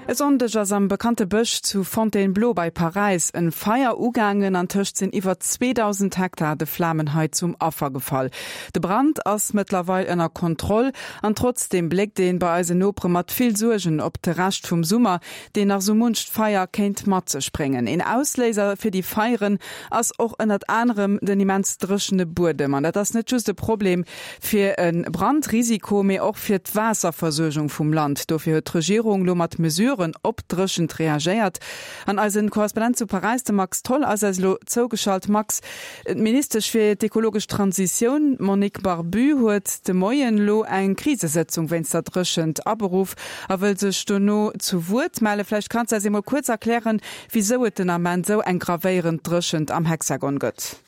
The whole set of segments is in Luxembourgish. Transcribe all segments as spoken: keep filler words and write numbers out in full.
E Sonndeg ass am bekannte Bësch zu Fontainebleau bei Paräis en Feier ugaangen. Antëscht sinn iwwer zweedausend Hektar de Flamen hei zum Affer gefall. De Brand ass mëttlerweil ënner Kontroll an trotzdeem bléckt een bei eisen Nopere mat vill Suergen op de Rescht vum Summer, deen nach sou muncht Feier kéint mat sech bréngen. Een Ausléiser fir déi Feieren ass och ënnert anerem den immens dréchene Buedem. An dat ass net just e Problem fir e Brandrisiko, mee och fir d'Waasserversuergung vum Land. Dofir huet d'Regierung lo mat Mesuren op d'Dréchent reagéiert. An eisen Korrespondent zu Paräis, de Max Tholl, ass eis elo zougeschalt. Max, d'Ministesch fir d'ekologesch Transitioun, d'Monique Barbut, huet de Moien elo eng Krisesëtzung wéinst der Dréchent aberuff a wëll sech dono zu Wuert mellen. Vläicht kanns de eis emol kuerz erklären, wisou et den Ament esou eng gravéierend Dréchent am Hexagon gëtt.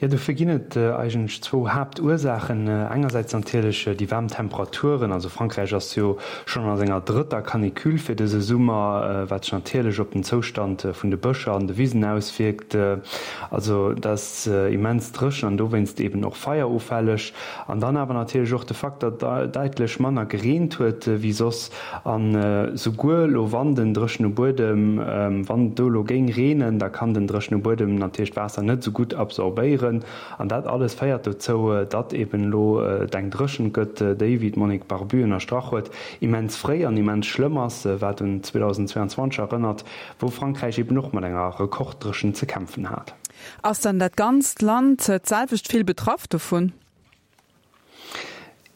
Jo, dofir ginn et eigentlech zwou Haaptursaachen. Engersäits natierlech déi waarm Temperaturen. Also Frankräich ass jo schonn a senger drëtter Canicule fir dëse Summer, wat sech natierlech op den Zoustand vun de Bëscher an de Wisen auswierkt. Also dat ass immens dréchen an dowéinst eben och feierufälleg. An dann awer natierlech och de Fakt, datt däitlech manner gereent huet wéi soss. An souguer elo wann den dréchene Buedem, wann et do elo géing reenen, da kann den dréchene Buedem natierlech d'Waasser net esou gutt absorbéieren. An dat alles féiert dozou, datt eben elo et eng Dréchent gëtt, déi, wéi d'Monique Barbut ënnerstrach huet, immens fréi an immens schlëmm ass, wat un zweedausendzweianzwanzeg erënnert, wou Frankräich eben och mat enger Rekorddréchent ze kämpfen hat. Ass dann dat ganzt Land d'selwecht vill betraff dovun?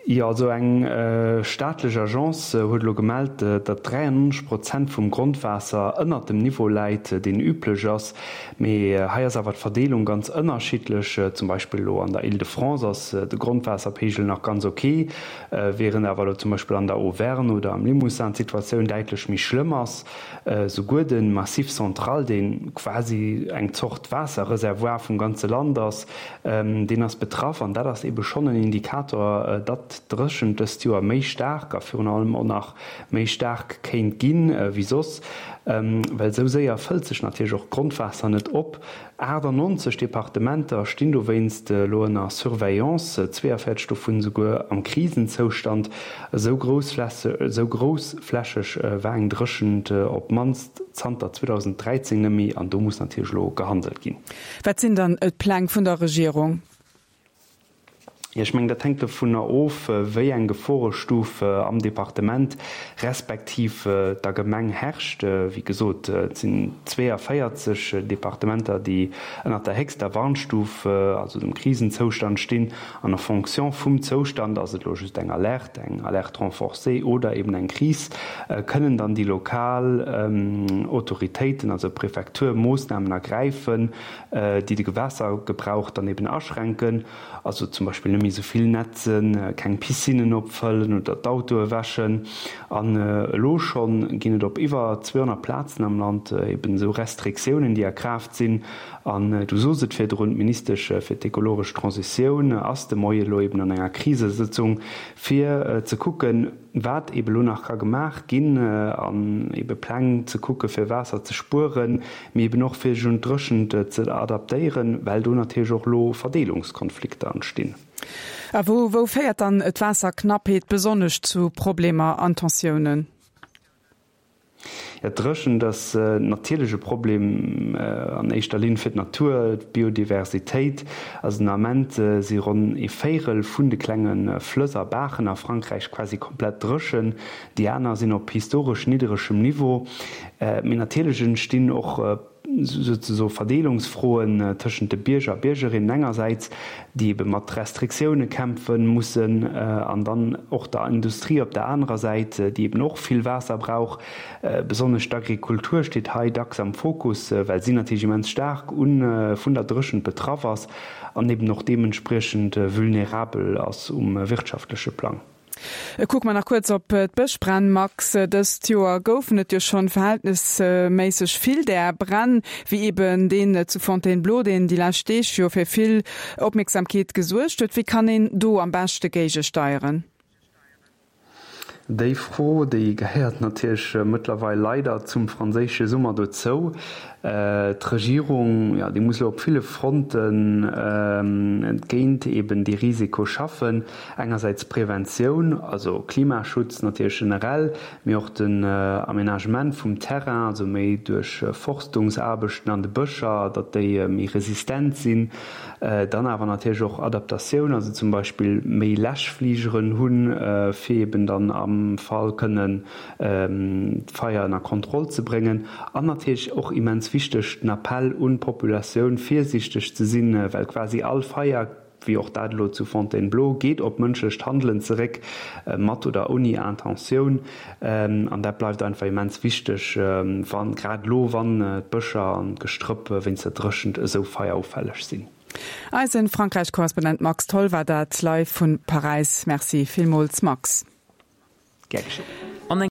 Jo, also eng staatlech Agence huet elo gemellt, datt dräiannonzeg Prozent vum Grondwaasser ënnert dem Niveau läit, deen üblech ass. Mee hei ass awer d'Verdeelung ganz ënnerschiddlech. Zum Beispill elo an der Île-de-France ass de Grondwaasserpeegel nach ganz ok, wärend awer elo zum Beispill an der Auvergne oder am Limousin d'Situatioun däitlech méi schlëmm ass. Souguer de Massif central, dee quasi eng Zort Waasserreservoir vum ganze Land ass, deen ass betraff. An dat ass eebe schonn en Indikator, datt d'Dréchent dëst Joer méi staark a virun allem och nach méi staark kéint ginn ewéi soss. Well esou séier fëllt sech natierlech och d'Grondwaasser net op. achtannonzeg Departementer stinn dowéinst elo ënner Surveillance, zweeënvéierzeg dovun esouguer am Krisenzoustand. Esou groussflächeg war eng Dréchent op d'mannst zanter zweedausenddräizéng net méi an do muss natierlech elo gehandelt ginn. Wat sinn dann d'Pläng vun der Regierung? Jo, ech mengen, dat hänkt dovunner of, wéi eng Geforestuf am Departement respektiv der Gemeng herrscht. Wéi gesot, et sinn zweeënvéierzeg Departementer, déi ënnert der héchster Warnstuf, also dem Krisenzoustand stinn. An en fonction vum Zoustand, ass et elo just eng Alerte, eng Alerte renforcée oder eben eng Kris, kënnen dann déi lokal Autoritéiten, also d'Prefektur, Moossnamen ergräifen, déi de Waassergebrauch dann eben aschränken. Also zum Beispill net méi esou vill nätzen, keng Piscinnen opfëllen oder d'Autoe wäschen. An elo schonn ginn et op iwwer zweehonnert Plazen am Land eben esou Restriktiounen, déi a Kraaft sinn. An du sos et virdrun, d'Ministesch fir d'ekologesch Transitioun ass de Moie elo eben an enger Krisesëtzung, fir ze kucken, wat ebe lo nach ka gemaach ginn an ebe Pläng ze kucke fir Waasser ze spueren, mee eben och fir sech un d'Dréchent ze adaptéieren, well do natierlech och elo Verdeelungskonflikter entstinn. A wou wou féiert dann d'Waasserknappheet besonnesch zu Problemer an Tensiounen? Jo, d'Dréchent ass natierlech e Problem an éischter Linn fir d'Natur, d'Biodiversitéit. Also den Ament si ronn ee Véirel vun de klenge Flëss a Baachen a Frankräich quasi komplett dréchen. Déi aner sinn op historesch nidderegem Niveau. Mee natierlech entstinn och souzesoe Verdeelungsfroen tëschent de Bierger a Biergerinnen engersäits, déi ebe mat Restriktioune kämpfe mussen, an dann och der Industrie op der anerer Säit, déi eben och vill Waasser brauch. Besonnesch d'Agrikultur steet hei dacks am Fokus, well si natierlech immens staark vun der Dréchent betraff ass an eben och deementspriechend vulnerabel ass um wirtschaftleche Plang. Kucke mer nach kuerz op d'Bëschbränn, Max. Dëst Joer goufen et jo schonn verhältnesméisseg vill där Bränn, wéi eben deen zu Fontainebleau, deen déi lescht Deeg jo fir vill Opmierksamkeet gesuergt huet. Wéi kann een do am beschte géigesteieren? Déi Fro, déi gehéiert natierlech mëttlerweil leider zum franséische Summer dozou. D'Regierung, jo, déi muss elo op ville Fronten géint eben dee Risiko schaffen. Engersäits Preventioun, also Klimaschutz natierlech generell, mee och den Aménagement vum Terrain, also méi Duerchforstungsaarbechten an de Bëscher, datt déi méi resistent sinn. Dann awer natierlech och Adaptatioun, also zum Beispill méi Läschfligeren hunn, fir eben dann am Fall kënnen d'Feier ënner Kontroll ze bréngen. An natierlech och immens wichteg, den Appell un d'Populatioun, virsiichteg ze sinn, well quasi all Feier, wéi och dat elo zu Fontainebleau, geet op mënschlecht Handelen zeréck, mat oder ouni Intentioun. An dat bleift einfach immens wichteg, wann, grad elo, wann d'Bëscher an d'Gestrëpp wéinst der Dréchent esou feierufälleg sinn. Eisen Frankräich-Korrespondent Max Tholl war dat live vun Paräis. Merci villmools Max. Gär geschéngt.